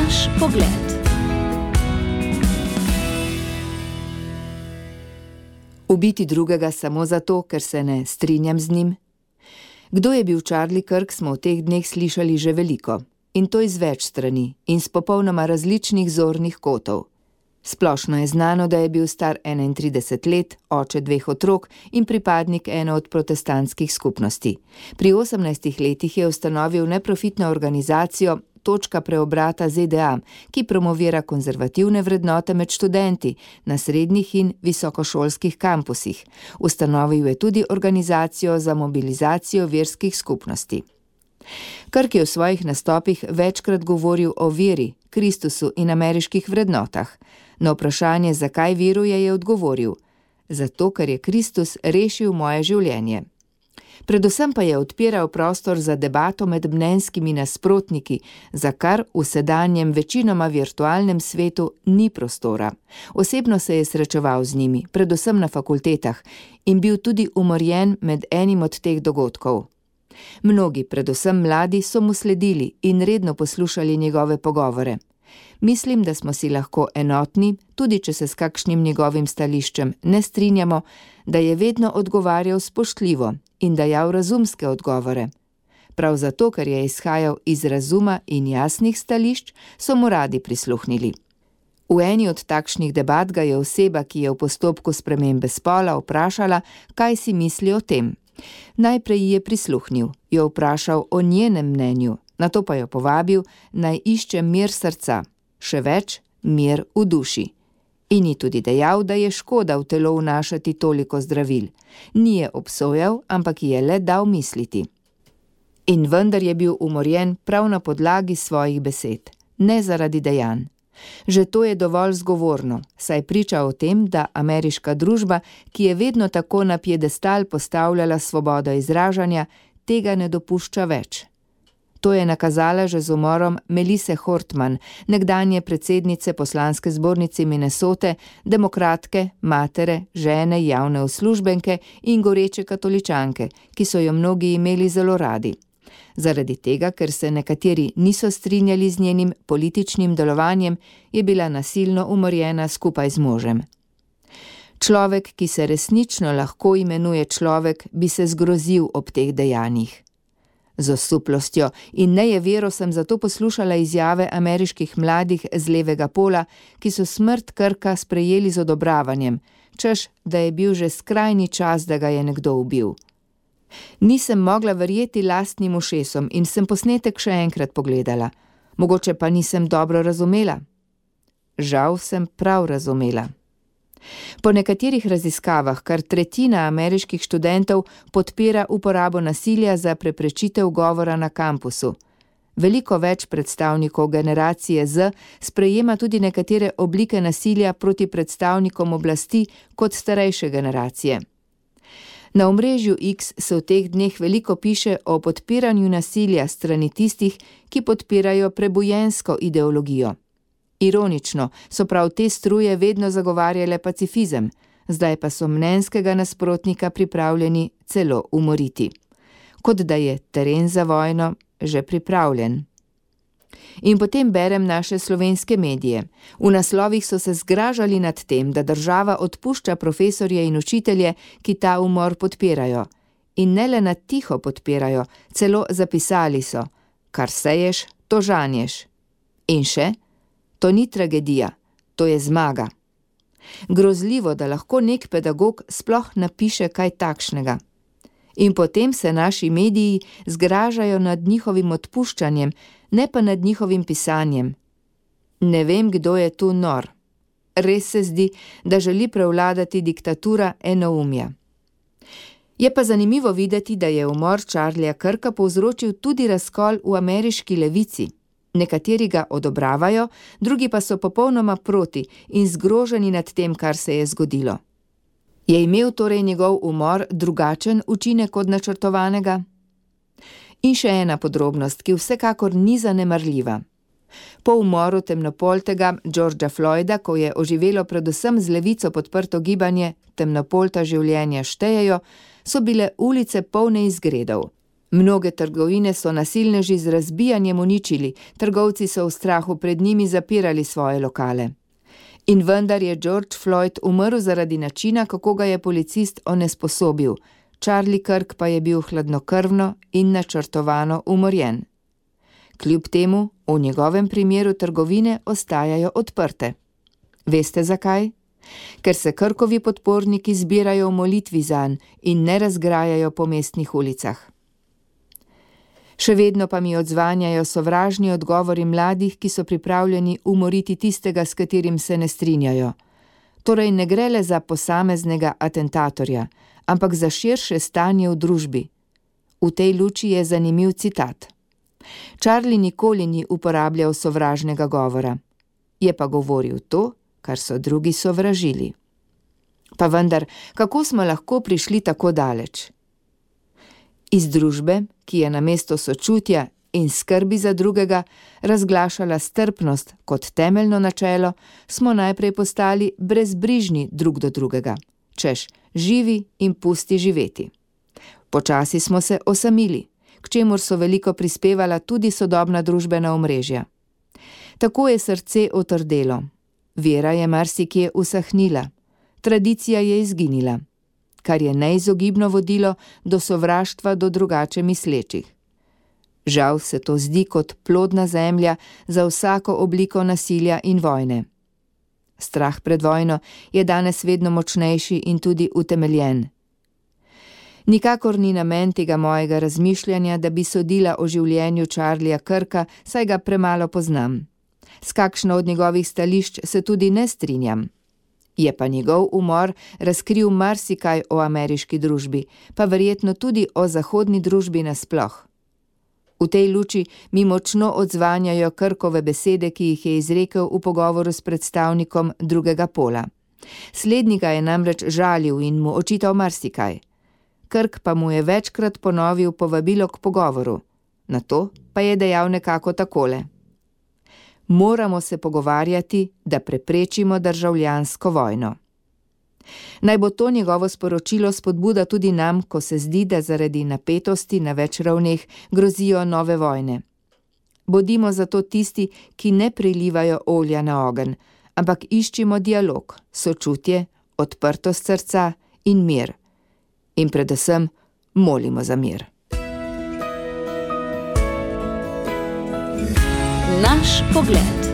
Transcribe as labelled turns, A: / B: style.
A: Naš pogled.
B: Ubiti drugega samo zato, ker se ne strinjam z njim? Kdo je bil Charlie Kirk, smo v teh dneh slišali že veliko. In to iz več strani in s popolnoma različnih zornih kotov. Splošno je znano, da je bil star 31 let, oče 2 otrok in pripadnik ene od protestantskih skupnosti. Pri 18 letih je ustanovil neprofitno organizacijo Točka preobrata ZDA, ki promovira konzervativne vrednote med študenti na srednjih in visokošolskih kampusih. Ustanovil je tudi organizacijo za mobilizacijo verskih skupnosti. Kirk je v svojih nastopih večkrat govoril o veri, Kristusu in ameriških vrednotah. Na vprašanje, zakaj veruje, je odgovoril: zato, ker je Kristus rešil moje življenje. Predvsem pa je odpiral prostor za debato med mnenjskimi nasprotniki, za kar v sedanjem večinoma virtualnem svetu ni prostora. Osebno se je srečeval z njimi, predvsem na fakultetah, in bil tudi umorjen med enim od teh dogodkov. Mnogi, predvsem mladi, so mu sledili in redno poslušali njegove pogovore. Mislim, da smo si lahko enotni, tudi če se s kakšnim njegovim stališčem ne strinjamo, da je vedno odgovarjal spoštljivo in dajal razumske odgovore. Prav zato, ker je izhajal iz razuma in jasnih stališč, so mu radi prisluhnili. V eni od takšnih debat ga je oseba, ki je v postopku spremembe spola, vprašala, kaj si misli o tem. Najprej je prisluhnil, jo vprašal o njenem mnenju, nato pa jo povabil, naj išče mir srca, še več, mir v duši. In ji tudi dejal, da je škoda v telo vnašati toliko zdravil. Ni je obsojal, ampak ji je le dal misliti. In vendar je bil umorjen prav na podlagi svojih besed, ne zaradi dejanj. Že to je dovolj zgovorno, saj priča o tem, da ameriška družba, ki je vedno tako na piedestal postavljala svobodo izražanja, tega ne dopušča več. To je nakazala že z umorom Melisse Hortman, nekdanje predsednice poslanske zbornice Minnesote, demokratke, matere, žene, javne uslužbenke in goreče katoličanke, ki so jo mnogi imeli zelo radi. Zaradi tega, ker se nekateri niso strinjali z njenim političnim delovanjem, je bila nasilno umorjena skupaj z možem. Človek, ki se resnično lahko imenuje človek, bi se zgrozil ob teh dejanjih. Z osuplostjo in nejevero sem zato poslušala izjave ameriških mladih z levega pola, ki so smrt Kirka sprejeli z odobravanjem, češ, da je bil že skrajni čas, da ga je nekdo ubil. Nisem mogla verjeti lastnim ušesom in sem posnetek še enkrat pogledala. Mogoče pa nisem dobro razumela. Žal sem prav razumela. Po nekaterih raziskavah kar tretjina ameriških študentov podpira uporabo nasilja za preprečitev govora na kampusu. Veliko več predstavnikov generacije Z sprejema tudi nekatere oblike nasilja proti predstavnikom oblasti kot starejše generacije. Na omrežju X se v teh dneh veliko piše o podpiranju nasilja strani tistih, ki podpirajo prebujensko ideologijo. Ironično so prav te struje vedno zagovarjale pacifizem, zdaj pa so mnenjskega nasprotnika pripravljeni celo umoriti. Kot da je teren za vojno že pripravljen. In potem berem naše slovenske medije. V naslovih so se zgražali nad tem, da država odpušča profesorje in učitelje, ki ta umor podpirajo. In ne le na tiho podpirajo, celo zapisali so: kar seješ, to žanješ. In še: to ni tragedija, to je zmaga. Grozljivo, da lahko nek pedagog sploh napiše kaj takšnega. In potem se naši mediji zgražajo nad njihovim odpuščanjem, ne pa nad njihovim pisanjem. Ne vem, kdo je tu nor. Res se zdi, da želi prevladati diktatura enoumja. Je pa zanimivo videti, da je umor Charlieja Kirka povzročil tudi razkol v ameriški levici. Nekateri ga odobravajo, drugi pa so popolnoma proti in zgroženi nad tem, kar se je zgodilo. Je imel torej njegov umor drugačen učinek od načrtovanega? In še ena podrobnost, ki vsekakor ni zanemarljiva. Po umoru temnopoltega Georgea Floyda, ko je oživelo predvsem z levico podprto gibanje Temnopolta življenja štejejo, so bile ulice polne izgredov. Mnoge trgovine so nasilneži z razbijanjem uničili, trgovci so v strahu pred njimi zapirali svoje lokale. In vendar je George Floyd umrl zaradi načina, kako ga je policist onesposobil, Charlie Kirk pa je bil hladnokrvno in načrtovano umorjen. Kljub temu, v njegovem primeru trgovine ostajajo odprte. Veste zakaj? Ker se Kirkovi podporniki zbirajo v molitvi zanj in ne razgrajajo po mestnih ulicah. Še vedno pa mi odzvanjajo sovražni odgovori mladih, ki so pripravljeni umoriti tistega, s katerim se ne strinjajo. Torej ne gre le za posameznega atentatorja, ampak za širše stanje v družbi. V tej luči je zanimiv citat. Charlie nikoli ni uporabljal sovražnega govora. Je pa govoril to, kar so drugi sovražili. Pa vendar, kako smo lahko prišli tako daleč? Iz družbe, ki je namesto sočutja in skrbi za drugega razglašala strpnost kot temeljno načelo, smo najprej postali brezbrižni drug do drugega, češ živi in pusti živeti. Počasi smo se osamili, k čemur so veliko prispevala tudi sodobna družbena omrežja. Tako je srce otrdelo, vera je marsikje usahnila, tradicija je izginila, kar je neizogibno vodilo do sovraštva do drugače mislečih. Žal se to zdi kot plodna zemlja za vsako obliko nasilja in vojne. Strah pred vojno je danes vedno močnejši in tudi utemeljen. Nikakor ni namen tega mojega razmišljanja, da bi sodila o življenju Charlieja Kirka, saj ga premalo poznam. S kakšno od njegovih stališč se tudi ne strinjam. Je pa njegov umor razkril marsikaj o ameriški družbi, pa verjetno tudi o zahodni družbi nasploh. V tej luči mi močno odzvanjajo Kirkove besede, ki jih je izrekel v pogovoru s predstavnikom drugega pola. Slednji ga je namreč žalil in mu očital marsikaj. Kirk pa mu je večkrat ponovil povabilo k pogovoru. Na to pa je dejal nekako takole. Moramo se pogovarjati, da preprečimo državljansko vojno. Naj bo to njegovo sporočilo spodbuda tudi nam, ko se zdi, da zaradi napetosti na več ravneh grozijo nove vojne. Bodimo zato tisti, ki ne prilivajo olja na ogenj, ampak iščimo dialog, sočutje, odprtost srca in mir. In predvsem molimo za mir.
A: Naš pogled.